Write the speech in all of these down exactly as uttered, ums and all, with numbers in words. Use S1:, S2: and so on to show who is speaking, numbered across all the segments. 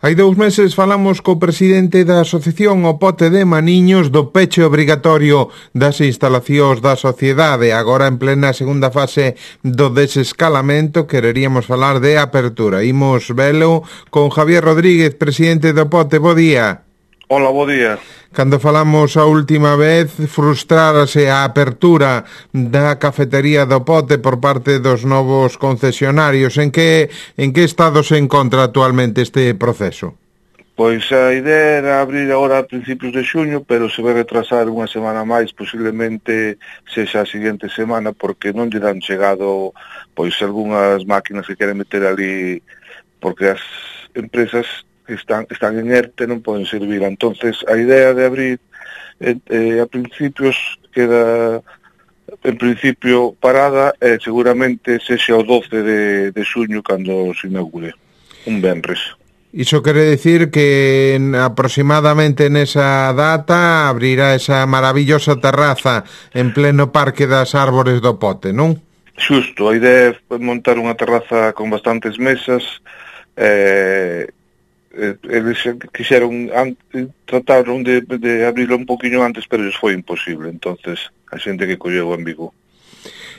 S1: Hai dous meses falamos co presidente da Asociación O Pote de Maniños do peche obrigatorio das instalacións da sociedade. Agora en plena segunda fase do desescalamento quereríamos falar de apertura. Imos velo con Javier Rodríguez, presidente do Pote. Bo día.
S2: Hola, bo día.
S1: Cando falamos a última vez, frustrárase a apertura da cafetería do Pote por parte dos novos concesionarios. En que, en que estado se encontra actualmente este proceso?
S2: Pois a idea era abrir agora a principios de xuño, pero se vai retrasar unha semana máis, posiblemente sexa a seguinte semana, porque non lle dan chegado pois algunhas máquinas que queren meter ali, porque as empresas están están en ERTE, non poden servir. Entonces a idea de abrir eh, eh, a principios queda en principio parada e eh, seguramente sexa o doce de, de xuño cando se inaugure, un venres.
S1: Iso quere decir que en, aproximadamente nesa data abrirá esa maravillosa terraza en pleno Parque das Árbores do Pote, non?
S2: Xusto, a idea é montar unha terraza con bastantes mesas. eh, eles quixeron trataron de, de abrirlo un poquinho antes, pero les foi imposible. Entonces a xente que colleu en Vigo.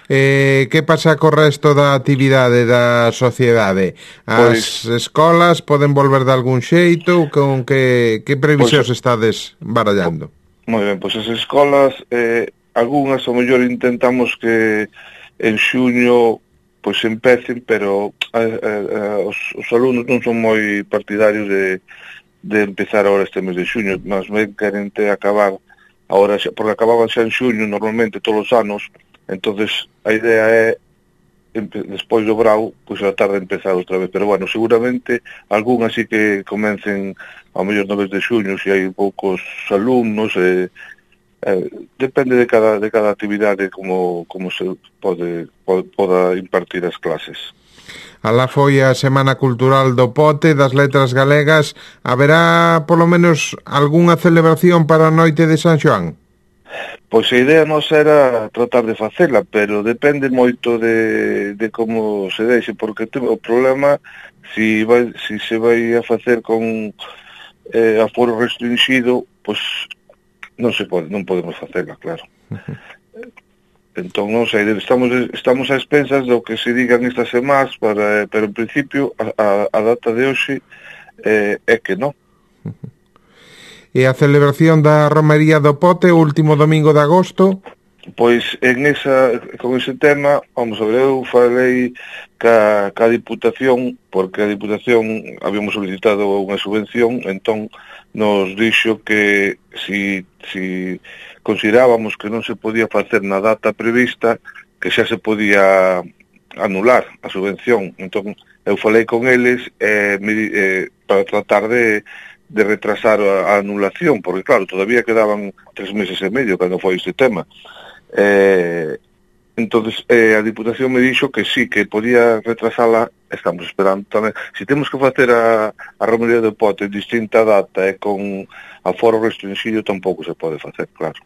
S1: Eh, que pasa co resto da actividade da sociedade? As pois, escolas poden volver de algún xeito? Con que, que previsións pois, estades barallando?
S2: Moi ben, pois as escolas, eh, algunhas ao mellor intentamos que en xuño pois empecen, pero a, a, a, os, os alumnos non son moi partidarios de, de empezar agora este mes de xuño. Mas ben queren te acabar agora, xa, porque acababan xa en xuño normalmente todos os anos. Entonces a idea é despois do brao, pois a tarde empezar outra vez, pero bueno, seguramente algunhas sí que comecen ao mellor no mes de xuño, se hai poucos alumnos. eh, Eh, depende de cada de cada actividade como como se pode, pode poda impartir as clases.
S1: Alá foi a Semana Cultural do Pote das Letras Galegas. Haberá polo menos algunha celebración para a noite de San Xoán?
S2: Pois a idea nos era tratar de facela, pero depende moito de, de como se deixe, porque o problema si, vai, si se vai a facer con eh, aforo restringido, pois non se pode, non podemos facela, claro. Entón, non sei, estamos estamos a expensas do que se digan estas semanas, para, pero en principio a, a, a data de hoxe eh, é que non.
S1: E a celebración da Romería do Pote o último domingo de agosto?
S2: Pois en esa, con ese tema, vamos a ver, eu falei ca, ca Diputación, porque a Diputación habíamos solicitado unha subvención, entón nos dixo que si, si considerábamos que non se podía facer na data prevista, que xa se podía anular a subvención. Entón eu falei con eles eh, me, eh, para tratar de, de retrasar a, a anulación, porque claro, todavía quedaban tres meses e medio cando foi este tema. Eh, entonces eh, a Diputación me dixo que sí, que podía retrasala. Estamos esperando tamén. Se temos que facer a, a Romería do Pote en distinta data e eh, con aforo restringido, tampouco se pode facer, claro.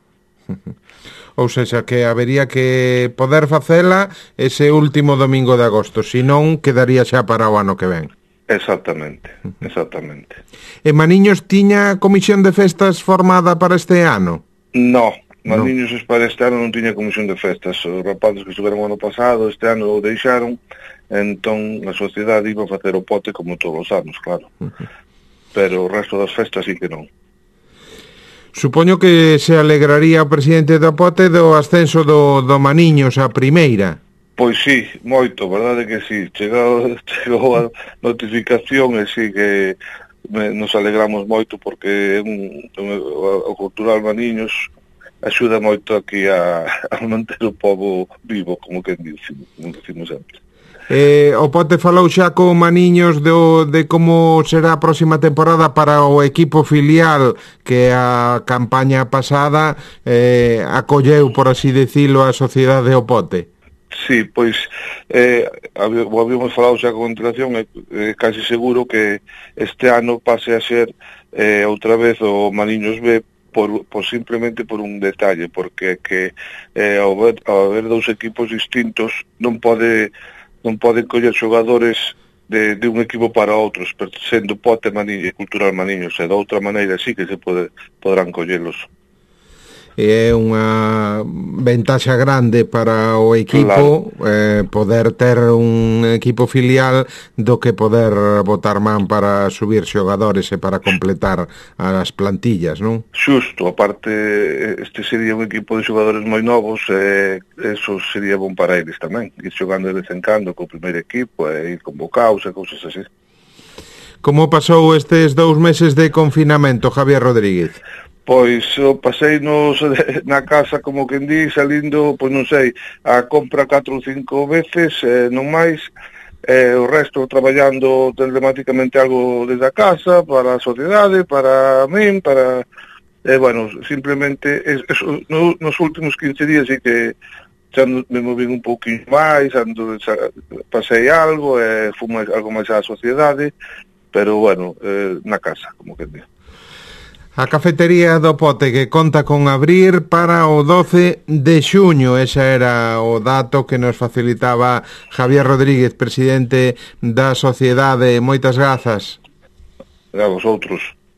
S1: Ou seja, que habería que poder facela ese último domingo de agosto, senón quedaría xa para o ano que ven.
S2: Exactamente, exactamente.
S1: E Maniños tiña comisión de festas formada para este ano?
S2: No, Maniños no. Para este ano non tiña comisión de festas. Os rapazes que estuveron o ano pasado, este ano o deixaron. Entón a sociedade iba a facer o Pote como todos os anos, claro. Uh-huh. Pero o resto das festas sí que non.
S1: Supoño que se alegraría o presidente do Pote do ascenso do, do Maniños a primeira.
S2: Pois sí, moito, verdade que sí. Chegou, chegou a notificación e sí que me, nos alegramos moito, porque un, un, o Cultural Maniños axuda moito aquí a, a manter o povo vivo, como que dicimos, como dicimos sempre.
S1: Eh, o Pote falou xa con Maniños do, de como será a próxima temporada para o equipo filial que a campaña pasada eh, acolleu, por así decirlo, a sociedade o Pote.
S2: Sí, pois eh, habíamos falado xa con antelación, é eh, casi seguro que este ano pase a ser eh, outra vez o Maniños B, por, por simplemente por un detalle, porque que eh, ao, ver, ao haber dous equipos distintos non pode non poden coller xogadores de, de un equipo para outros, sendo Pote Maniño e Cultural Maniños, e de outra maneira sí que se pode, podrán collelos.
S1: É unha ventaxa grande para o equipo, claro, eh, poder ter un equipo filial do que poder botar man para subir xogadores e para completar as plantillas, non?
S2: Xusto, aparte este sería un equipo de xogadores moi novos e eso sería bon para eles tamén, ir xogando de vez en cando co primeiro equipo e ir convocados e cousas así.
S1: Como pasou estes dous meses de confinamento, Javier Rodríguez?
S2: Pois o pasei nos, na casa, como quen di, salindo, pois non sei, a compra catro ou cinco veces, eh, non máis, eh, o resto traballando telemáticamente algo desde a casa, para a sociedade, para min, para... Eh, bueno, simplemente, es, es, no, nos últimos quince días sí que xa me movín un pouquinho máis, ando, xa, pasei algo, eh, fui algo máis á sociedade, pero bueno, eh, na casa, como quen di.
S1: A cafetería do Pote, que conta con abrir para o doce de xuño. Ese era o dato que nos facilitaba Javier Rodríguez, presidente da sociedade. Moitas grazas.
S2: A vosotros.